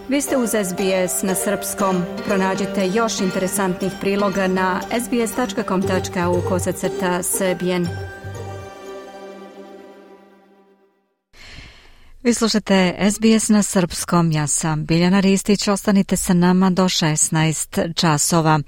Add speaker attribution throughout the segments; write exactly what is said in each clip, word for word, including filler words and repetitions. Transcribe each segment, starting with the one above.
Speaker 1: Vi ste uz S B S na srpskom. Pronađite još interesantnih priloga na sbs.com tačka au kosacrta srbijen. Vi slušate S B S na srpskom. Ja sam Biljana Ristić. Ostanite sa nama do šesnaest časova.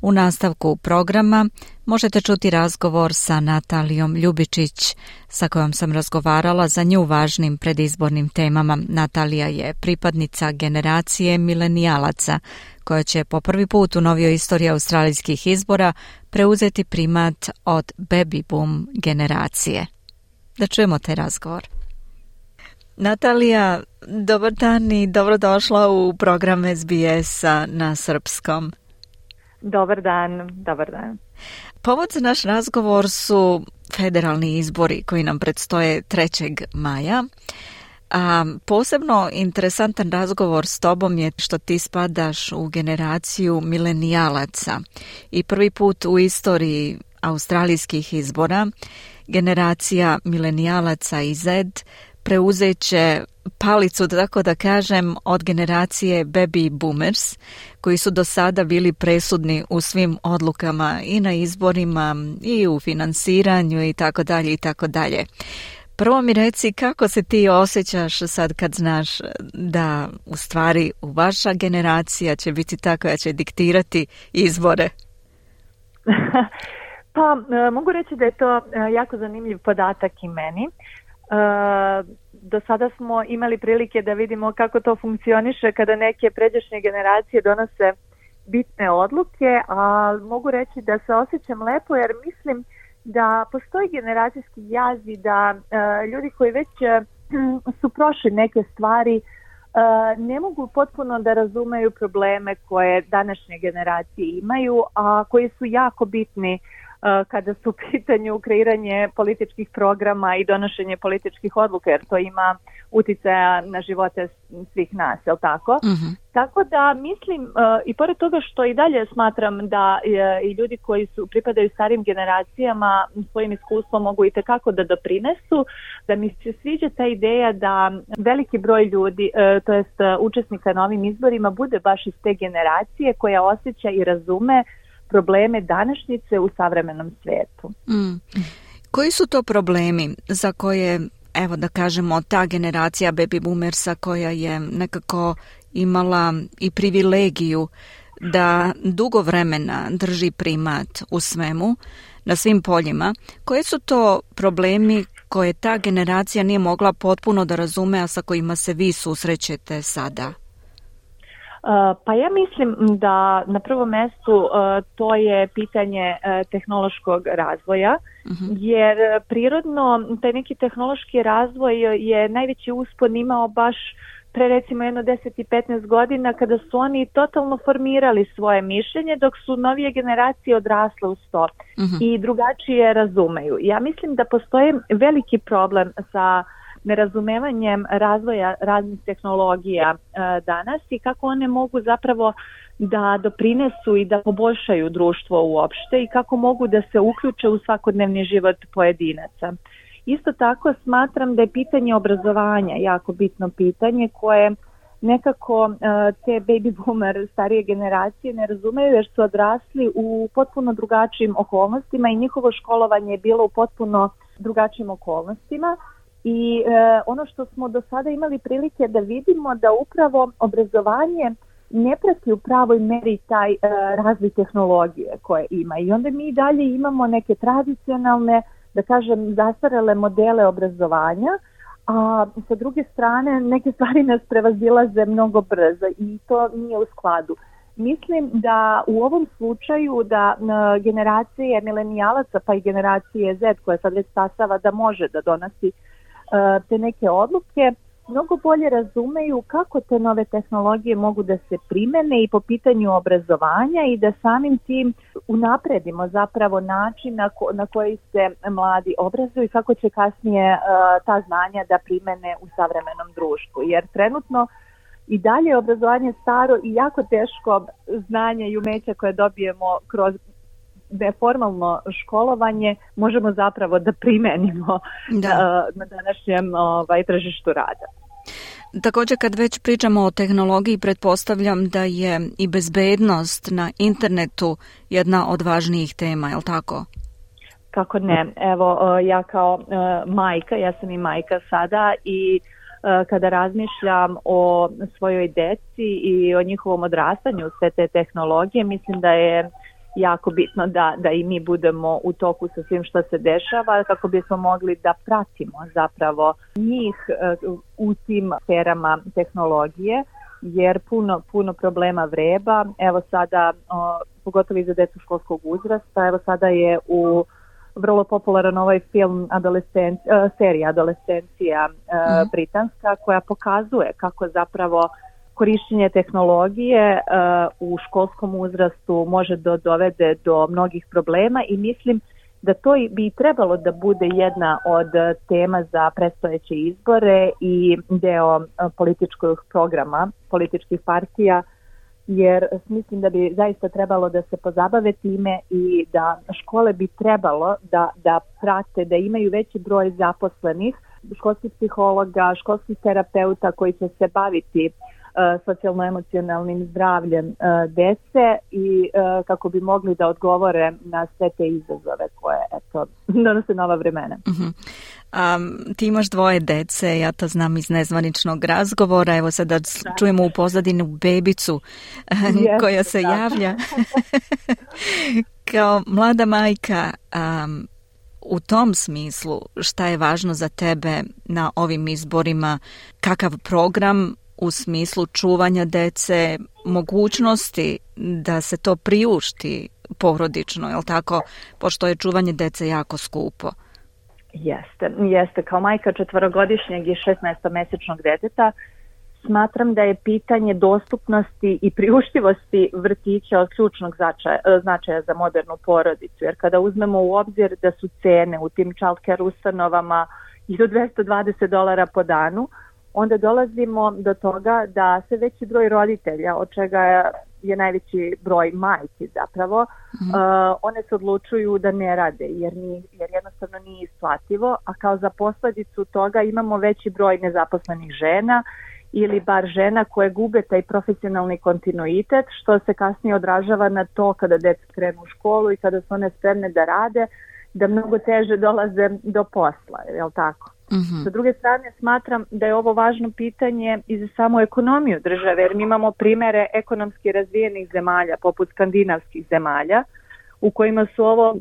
Speaker 1: U nastavku programa možete čuti razgovor sa Natalijom Ljubičić, sa kojom sam razgovarala za nju važnim predizbornim temama. Natalija je pripadnica generacije milenijalaca, koja će po prvi put u novijoj istoriji australijskih izbora preuzeti primat od baby boom generacije. Da čujemo taj razgovor. Natalija, dobar dan i dobrodošla u program S B S-a na srpskom.
Speaker 2: Dobar dan, dobar dan.
Speaker 1: Povod za naš razgovor su federalni izbori koji nam predstoje trećeg maja. A posebno interesantan razgovor s tobom je što ti spadaš u generaciju milenijalaca i prvi put u istoriji australijskih izbora generacija milenijalaca i Z preuzet će palicu, tako da kažem, od generacije baby boomers, koji su do sada bili presudni u svim odlukama i na izborima i u finansiranju i tako dalje i tako dalje. Prvo mi reci kako se ti osjećaš sad kad znaš da u stvari u vaša generacija će biti ta koja će diktirati izbore?
Speaker 2: Pa mogu reći da je to jako zanimljiv podatak i meni. Uh, do sada smo imali prilike da vidimo kako to funkcioniše kada neke pređašnje generacije donose bitne odluke, a mogu reći da se osjećam lepo jer mislim da postoji generacijski jaz i da uh, ljudi koji već uh, su prošli neke stvari uh, ne mogu potpuno da razumeju probleme koje današnje generacije imaju, a koji su jako bitni kada su u pitanju kreiranje političkih programa i donošenje političkih odluka, jer to ima uticaja na živote svih nas, je li tako? Mm-hmm. Tako da mislim, uh, i pored toga što i dalje smatram da uh, i ljudi koji su pripadaju starim generacijama svojim iskustvom mogu i tekako da doprinesu, da mi se sviđa ta ideja da veliki broj ljudi, uh, to jest uh, učesnika na ovim izborima, bude baš iz te generacije koja osjeća i razume probleme današnjice u savremenom svijetu.
Speaker 1: Mm. Koji su to problemi za koje, evo da kažemo, ta generacija baby boomersa koja je nekako imala i privilegiju da dugo vremena drži primat u svemu, na svim poljima, koji su to problemi koje ta generacija nije mogla potpuno da razume, a sa kojima se vi susrećete sada?
Speaker 2: Uh, pa ja mislim da na prvom mjestu uh, to je pitanje uh, tehnološkog razvoja, uh-huh. jer prirodno taj neki tehnološki razvoj je najveći uspon imao baš pre recimo jedno deset i petnaest godina kada su oni totalno formirali svoje mišljenje dok su novije generacije odrasle uz to uh-huh. i drugačije razumeju. Ja mislim da postoji veliki problem sa nerazumevanjem razvoja raznih tehnologija e, danas i kako one mogu zapravo da doprinesu i da poboljšaju društvo uopšte i kako mogu da se uključe u svakodnevni život pojedinaca. Isto tako smatram da je pitanje obrazovanja jako bitno pitanje koje nekako e, te baby boomer starije generacije ne razumeju jer su odrasli u potpuno drugačijim okolnostima i njihovo školovanje je bilo u potpuno drugačijim okolnostima. I e, ono što smo do sada imali prilike da vidimo da upravo obrazovanje ne prati u pravoj meri taj e, razvoj tehnologije koje ima. I onda mi dalje imamo neke tradicionalne, da kažem, zastarele modele obrazovanja, a sa druge strane neke stvari nas prevazilaze mnogo brzo i to nije u skladu. Mislim da u ovom slučaju da e, generacije milenijalaca pa i generacije Z koja sad već stasava da može da donosi te neke odluke, mnogo bolje razumeju kako te nove tehnologije mogu da se primene i po pitanju obrazovanja i da samim tim unapredimo zapravo način na, ko, na koji se mladi obrazuju i kako će kasnije uh, ta znanja da primene u savremenom društvu. Jer trenutno i dalje je obrazovanje staro i jako teško znanje i umeća koje dobijemo kroz neformalno školovanje možemo zapravo da primenimo da. na današnjem ovaj, tržištu rada.
Speaker 1: Također kad već pričamo o tehnologiji, pretpostavljam da je i bezbednost na internetu jedna od važnijih tema, je li tako?
Speaker 2: Kako ne. Evo, ja kao majka, ja sam i majka sada i kada razmišljam o svojoj deci i o njihovom odrastanju sve te tehnologije, mislim da je jako bitno da, da i mi budemo u toku sa svim što se dešava kako bismo mogli da pratimo zapravo njih u tim sferama tehnologije, jer puno, puno problema vreba. Evo sada, o, pogotovo i za decu školskog uzrasta, evo sada je u vrlo popularan ovaj film adolescent, uh, serija Adolescencija uh, britanska, koja pokazuje kako zapravo korištenje tehnologije uh, u školskom uzrastu može da dovede do mnogih problema i mislim da to bi trebalo da bude jedna od tema za predstojeće izbore i deo uh, političkog programa, političkih partija, jer mislim da bi zaista trebalo da se pozabave time i da škole bi trebalo da, da prate, da imaju veći broj zaposlenih, školskih psihologa, školskih terapeuta koji će se baviti uh, socijalno-emocionalnim zdravljem uh, dece i uh, kako bi mogli da odgovore na sve te izazove koje eto, donose nova vremena.
Speaker 1: Uh-huh. Um, ti imaš dvoje dece, ja to znam iz nezvaničnog razgovora, evo sada da. čujemo u pozadinu bebicu yes, koja se da. javlja. Kao mlada majka, um, u tom smislu šta je važno za tebe na ovim izborima, kakav program u smislu čuvanja dece, mogućnosti da se to priušti porodično, je li tako, pošto je čuvanje dece jako skupo?
Speaker 2: Jeste, jeste. Kao majka četvorogodišnjeg i šesnaestomesečnog deteta smatram da je pitanje dostupnosti i priuštivosti vrtića od ključnog značaja, značaja za modernu porodicu, jer kada uzmemo u obzir da su cene u tim childcare ustanovama i do dvesta dvadeset dolara po danu, onda dolazimo do toga da se veći broj roditelja, od čega je najveći broj majki zapravo, mm-hmm. uh, one se odlučuju da ne rade jer, ni, jer jednostavno nije isplativo, a kao za posljedicu toga imamo veći broj nezaposlenih žena ili bar žena koje gube taj profesionalni kontinuitet, što se kasnije odražava na to kada deca krenu u školu i kada su one spremne da rade, da mnogo teže dolaze do posla, je li tako? Mm-hmm. Sa druge strane smatram da je ovo važno pitanje i za samu ekonomiju države, jer mi imamo primere ekonomski razvijenih zemalja poput skandinavskih zemalja u kojima su ovo uh,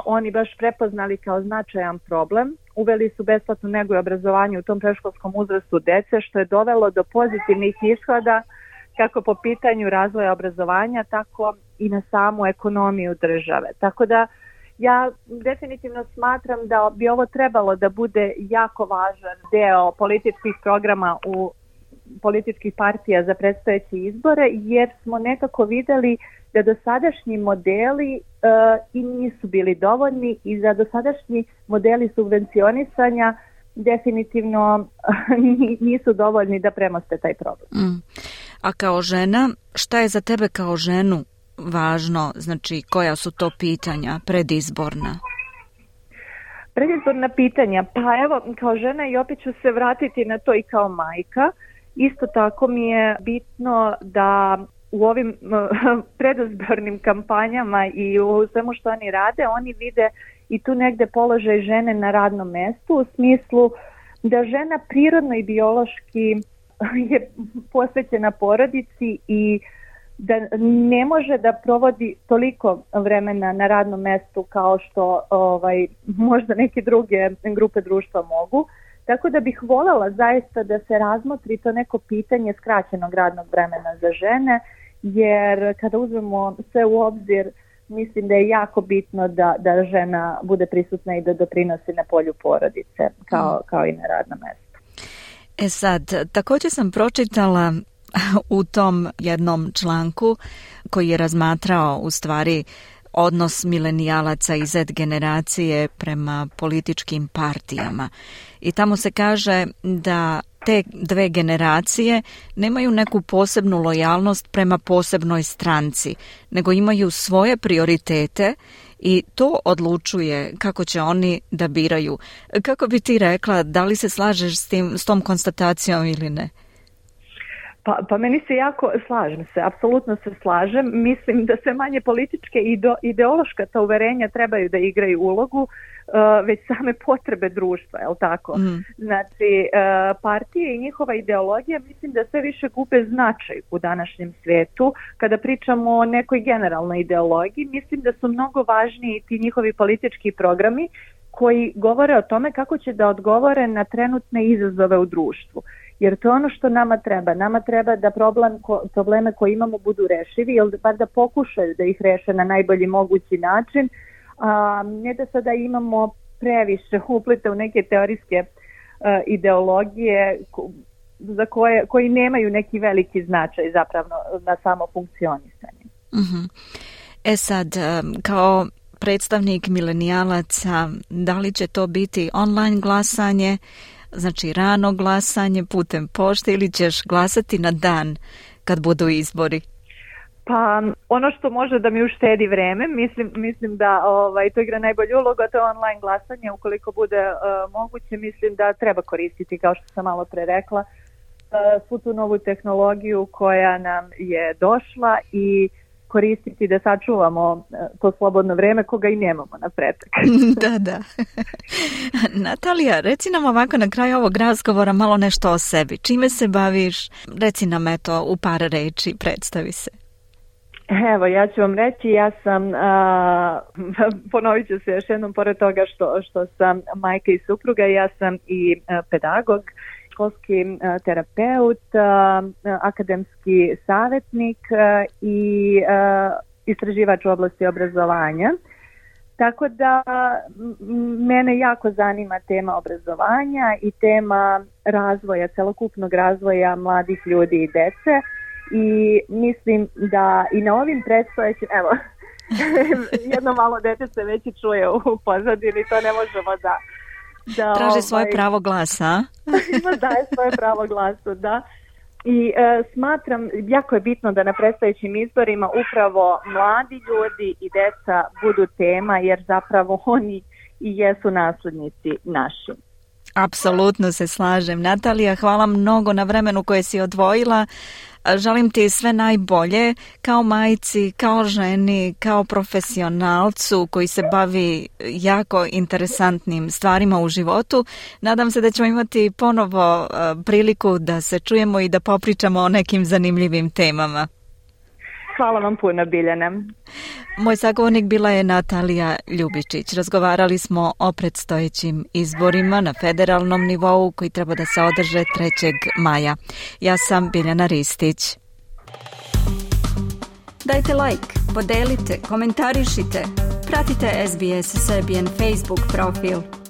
Speaker 2: oni baš prepoznali kao značajan problem. Uveli su besplatnu negu i obrazovanje u tom predškolskom uzrastu dece, što je dovelo do pozitivnih ishoda kako po pitanju razvoja obrazovanja, tako i na samu ekonomiju države. Tako da ja definitivno smatram da bi ovo trebalo da bude jako važan deo političkih programa u političkih partija za predstojeće izbore, jer smo nekako videli da dosadašnji modeli uh, i nisu bili dovoljni i da dosadašnji modeli subvencionisanja definitivno nisu dovoljni da premoste taj problem.
Speaker 1: Mm. A kao žena, šta je za tebe kao ženu važno, znači koja su to pitanja predizborna?
Speaker 2: Predizborna pitanja, pa evo kao žena i opet ću se vratiti na to i kao majka. Isto tako mi je bitno da u ovim uh, predizbornim kampanjama i u svemu što oni rade, oni vide i tu negde položaj žene na radnom mestu u smislu da žena prirodno i biološki je posvećena porodici i da ne može da provodi toliko vremena na radnom mestu kao što ovaj, možda neke druge grupe društva mogu. Tako da bih voljela zaista da se razmotri to neko pitanje skraćenog radnog vremena za žene, jer kada uzmemo sve u obzir, mislim da je jako bitno da, da žena bude prisutna i da doprinosi na polju porodice kao, kao i na radnom mestu.
Speaker 1: E sad, također sam pročitala u tom jednom članku koji je razmatrao u stvari odnos milenijalaca i Z generacije prema političkim partijama. I tamo se kaže da te dve generacije nemaju neku posebnu lojalnost prema posebnoj stranci, nego imaju svoje prioritete i to odlučuje kako će oni da biraju. Kako bi ti rekla, da li se slažeš s tim, s tom konstatacijom ili ne?
Speaker 2: Pa, pa meni se jako, slažem se, apsolutno se slažem. Mislim da sve manje političke i ideološka ta uverenja trebaju da igraju ulogu, uh, već same potrebe društva, je li tako? Mm. Znači, uh, partije i njihova ideologija mislim da sve više gube značaj u današnjem svijetu. Kada pričamo o nekoj generalnoj ideologiji, mislim da su mnogo važniji ti njihovi politički programi koji govore o tome kako će da odgovore na trenutne izazove u društvu. Jer to je ono što nama treba. Nama treba da problem, probleme koje imamo budu rešivi, ili bar da pokušaju da ih reše na najbolji mogući način, a ne da sada imamo previše uplete u neke teorijske uh, ideologije za koje, koji nemaju neki veliki značaj zapravo na samo funkcionisanje.
Speaker 1: Mm-hmm. E sad, kao predstavnik milenijalaca, da li će to biti online glasanje, znači rano glasanje putem pošte ili ćeš glasati na dan kad budu izbori?
Speaker 2: Pa ono što može da mi uštedi vreme, mislim, mislim da ovaj, to igra najbolju ulogu, a to je online glasanje. Ukoliko bude uh, moguće, mislim da treba koristiti, kao što sam malo pre rekla, uh, svu tu novu tehnologiju koja nam je došla i koristiti da sačuvamo to slobodno vreme koga i nemamo na pretek.
Speaker 1: Da, da. Natalija, reci nam ovako na kraju ovog razgovora malo nešto o sebi. Čime se baviš? Reci nam eto u par reči, predstavi se.
Speaker 2: Evo, ja ću vam reći, ja sam, a, ponovit ću se još jednom, pored toga što, što sam majka i supruga, ja sam i a, pedagog, školski a, terapeut, a, akademski savjetnik a, i a, istraživač u oblasti obrazovanja. Tako da m, mene jako zanima tema obrazovanja i tema razvoja, celokupnog razvoja mladih ljudi i dece. I mislim da i na ovim predstojećim, evo, jedno malo dete se već i čuje u pozadini, to ne možemo da... da
Speaker 1: Traži svoje ovaj, pravo glasa.
Speaker 2: Ima daje svoje pravo glasa, da. I e, smatram, jako je bitno da na predstojećim izborima upravo mladi ljudi i deca budu tema, jer zapravo oni i jesu naslednici naši.
Speaker 1: Apsolutno se slažem. Natalija, hvala mnogo na vremenu koje si odvojila. Želim ti sve najbolje kao majci, kao ženi, kao profesionalcu koji se bavi jako interesantnim stvarima u životu. Nadam se da ćemo imati ponovo priliku da se čujemo i da popričamo o nekim zanimljivim temama.
Speaker 2: Hvala vam puno, Biljana.
Speaker 1: Moj sagovornik bila je Natalija Ljubičić. Razgovarali smo o predstojećim izborima na federalnom nivou koji treba da se održe trećeg maja. Ja sam Biljana Ristić. Dajte like, podelite, komentarišite. Pratite S B S Serbian Facebook profil.